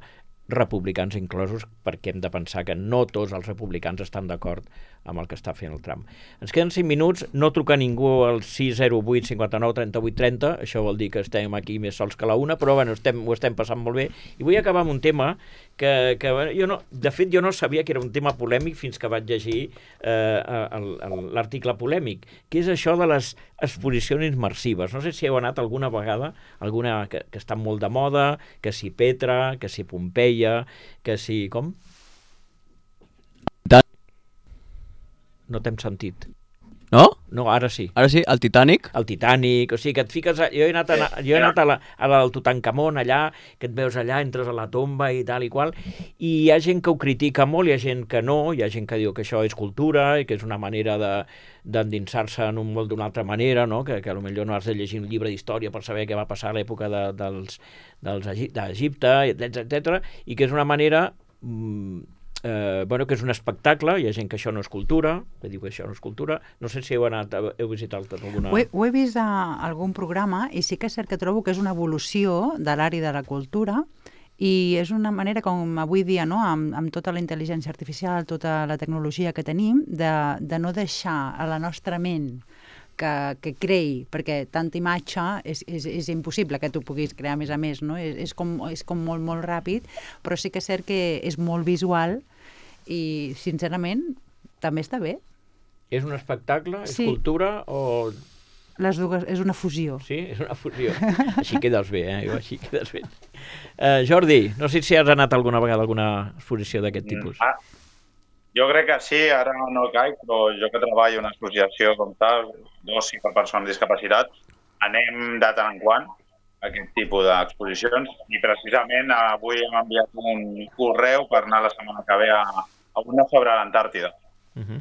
republicans inclosos, perquè hem de pensar que no tots els republicans estan d'acord amb el que està fent el Trump. Ens queden cinc minuts, no truca ningú al sis zero vuit cinquanta-nou trenta-vuit trenta, això vol dir que estem aquí més sols que la una, però bueno, estem, ho estem passant molt bé. I vull acabar amb un tema que, que bueno, jo no, de fet jo no sabia que era un tema polèmic fins que vaig llegir eh, l'article polèmic, que és això de les exposicions immersives. No sé si heu anat alguna vegada, alguna que, que està molt de moda, que si Petra, que si Pompeia, que si... com? No t'hem sentit. No? No, ara sí. Ara sí, el Titanic? El Titanic, o sigui, que et fiques... A, jo he anat, a, jo he anat a la, a la del Tutankamon allà, que et veus allà, entres a la tomba i tal i qual, i hi ha gent que ho critica molt, hi ha gent que no, hi ha gent que diu que això és cultura i que és una manera de d'endinsar-se en un món d'una altra manera, no? que, que potser no has de llegir un llibre d'història per saber què va passar a l'època de, dels, dels d'Egipte, etcètera, i que és una manera... Mmm, Eh, bueno, que és un espectacle, hi ha gent que això no és cultura, que diu que això no és cultura. No sé si heu anat, heu visitat alguna... Ho he, ho he vist a algun programa i sí que és cert que trobo que és una evolució de l'àrea de la cultura i és una manera com avui dia, no? amb, amb tota la intel·ligència artificial, tota la tecnologia que tenim, de, de no deixar a la nostra ment que, que creï, perquè tanta imatge és, és, és impossible que tu puguis crear més a més, no? És, és, com, és com molt, molt ràpid, però sí que és cert que és molt visual i, sincerament, també està bé. És un espectacle? És sí. cultura o... Les dues, és una fusió. Sí, és una fusió. Així quedes bé, eh? Jo, així quedes bé. Uh, Jordi, no sé si has anat alguna vegada a alguna exposició d'aquest tipus. Ah, jo crec que sí, ara no caic, però jo que treballo en una associació com tal, d'oci per persones amb discapacitat, anem de tant en quant a aquest tipus d'exposicions i precisament avui hem enviat un correu per anar la setmana que ve a, a una sobre l'Antàrtida. Uh-huh.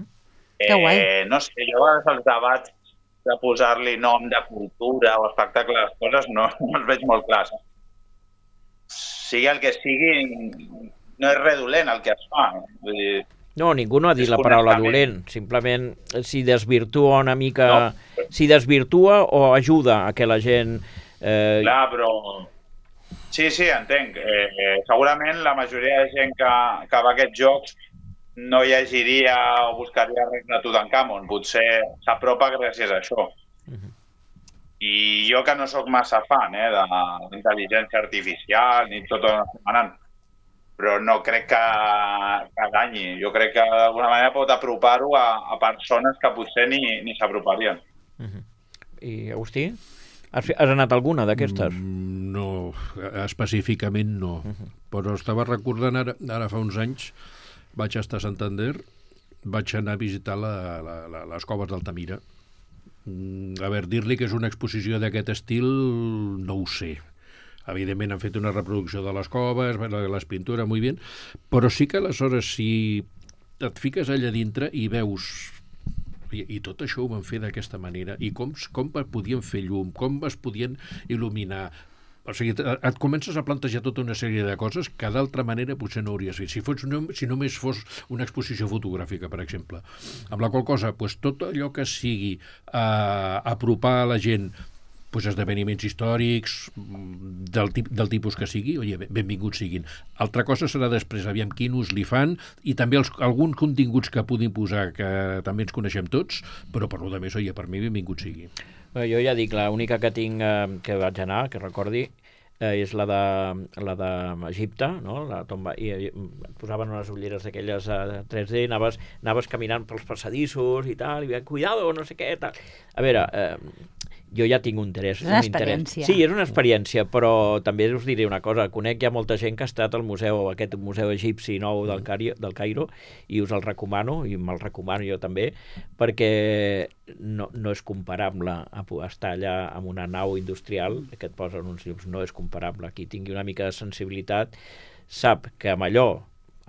eh, que guai. No sé, jo a vegades els debats de posar-li nom de cultura o espectacle a les coses no, no els veig molt clars. Sigui el que sigui, no és res dolent el que es fa. Vull dir, no, ningú no ha dit la paraula dolent, simplement si desvirtua una mica, no. si desvirtua o ajuda a que la gent... Eh... Clar, però... Sí, sí, entenc. Eh, segurament la majoria de gent que, que va a aquests jocs no llegiria o buscaria res de Tutankamon, potser s'apropa gràcies a això. Uh-huh. I jo que no sóc massa fan eh, de l'intel·ligència artificial ni tot el que estem anant, però no crec que, que danyi. Jo crec que d'alguna manera pot apropar-ho a, a persones que potser ni, ni s'aproparien. Uh-huh. I Agustí? Has, has anat alguna d'aquestes? Mm, no, específicament no. Uh-huh. Però estava recordant ara, ara fa uns anys, vaig estar a Santander, vaig anar a visitar la, la, la, les coves d'Altamira. Mm, a veure, dir-li que és una exposició d'aquest estil, no ho sé. Evidentment han fet una reproducció de les coves, les pintures, molt bé, però sí que aleshores si et fiques allà dintre i veus... I, i tot això ho van fer d'aquesta manera, i com, com podien fer llum, com es podien il·luminar o sigui, et comences a plantejar tota una sèrie de coses que d'altra manera potser no hauries fet. Si, fos, si només fos una exposició fotogràfica, per exemple. Amb la qual cosa, pues, tot allò que sigui uh, apropar a la gent pues, esdeveniments històrics del, tip, del tipus que sigui, oye, benvinguts siguin. Altra cosa serà després, aviam quin ús li fan, i també els, alguns continguts que puguin posar, que també ens coneixem tots, però per lo de més, oye, per mi benvingut sigui. Bé, jo ja dic, l'única que tinc, eh, que vaig anar, que recordi, eh, és la de la d'Egipte, no? La tomba, i, i posaven unes ulleres d'aquelles eh, tres D, anaves, anaves caminant pels passadissos i tal, i cuidado, no sé què, tal. A veure, eh, jo ja tinc un interès. És una un experiència. Interès. Sí, és una experiència, però també us diré una cosa. Conec ja molta gent que ha estat al museu, aquest museu egipci nou del, Cari, del Cairo, i us el recomano, i me'l recomano jo també, perquè no, no és comparable a estar allà amb una nau industrial que et posen uns llums, no és comparable. Qui tingui una mica de sensibilitat sap que amb allò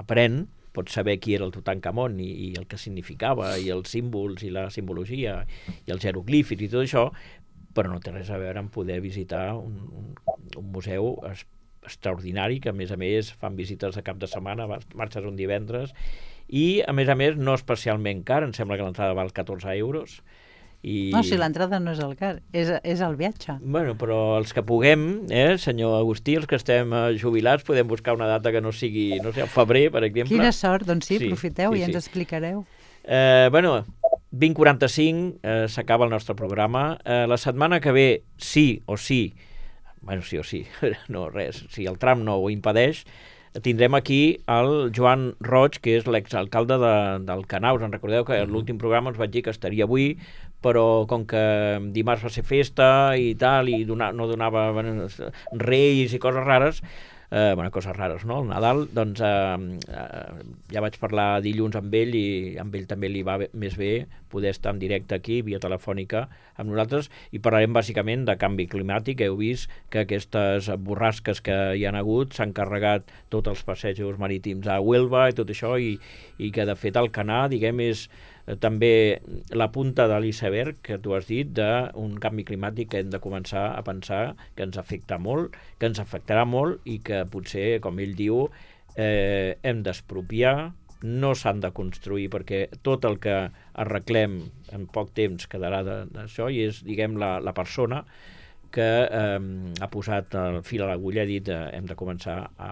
aprèn, pots saber qui era el Tutankamon i, i el que significava, i els símbols, i la simbologia, i els jeroglífics i tot això, però no té res a veure amb poder visitar un, un, un museu es, extraordinari, que a més a més fan visites de cap de setmana, marxes un divendres, i a més a més no especialment car, em sembla que l'entrada val catorze euros. I... No, si l'entrada no és el car, és, és el viatge. Bueno, però els que puguem, eh, senyor Agustí, els que estem jubilats, podem buscar una data que no sigui, no sé, al febrer, per exemple. Quina sort, doncs sí, sí aprofiteu sí, i ens sí. explicareu. Eh, bueno, vint quaranta-cinc eh, s'acaba el nostre programa. Eh, la setmana que ve, sí o sí, bueno, sí o sí, no res, si el tram no ho impedeix, tindrem aquí el Joan Roig, que és l'exalcalde de, del Canà. Us en recordeu que en l'últim programa us vaig dir que estaria avui, però com que dimarts va ser festa i tal, i donar, no donava bueno, reis i coses rares, eh, bueno, coses rares, no? El Nadal, doncs eh, eh, ja vaig parlar dilluns amb ell i amb ell també li va bé, més bé poder estar en directe aquí, via telefònica, amb nosaltres, i parlarem bàsicament de canvi climàtic. Heu vist que aquestes borrasques que hi han hagut s'han carregat tots els passejos marítims a Huelva i tot això, i, i que de fet el Canà, diguem, és eh, també la punta de l'iceberg, que tu has dit, d'un canvi climàtic que hem de començar a pensar que ens afecta molt, que ens afectarà molt, i que potser, com ell diu, eh, hem d'expropiar, no s'han de construir, perquè tot el que arreglem en poc temps quedarà d'això, i és, diguem, la, la persona que eh, ha posat el fil a l'agulla, ha dit eh, hem de començar a,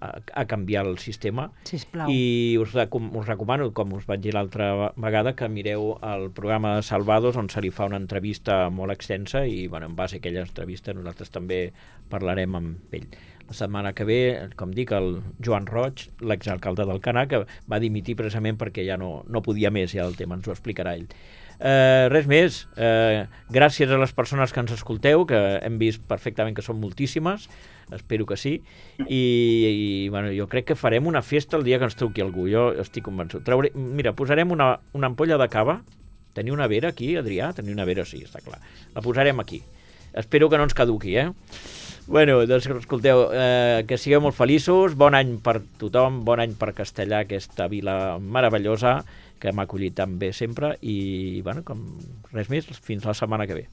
a, a canviar el sistema. Sisplau. I us, us recomano, com us vaig dir l'altra vegada, que mireu el programa de Salvados, on se li fa una entrevista molt extensa, i bueno, en base a aquella entrevista nosaltres també parlarem amb ell. La setmana que ve, com dic, el Joan Roig, l'exalcalde del Canà, que va dimitir precisament perquè ja no, no podia més, ja el tema ens ho explicarà ell. Eh, res més, eh, gràcies a les persones que ens escolteu, que hem vist perfectament que són moltíssimes, espero que sí, i, i bueno, jo crec que farem una festa el dia que ens truqui algú, jo estic convençut. Trauré, mira, posarem una, una ampolla de cava. Teniu una vera aquí, Adrià? Teniu una vera, sí, està clar. La posarem aquí. Espero que no ens caduqui, eh? Bueno, doncs escolteu, eh, que sigueu molt feliços, bon any per tothom, bon any per Castellà, aquesta vila meravellosa que m'ha acollit tan bé sempre, i bueno, com res més, fins la setmana que ve.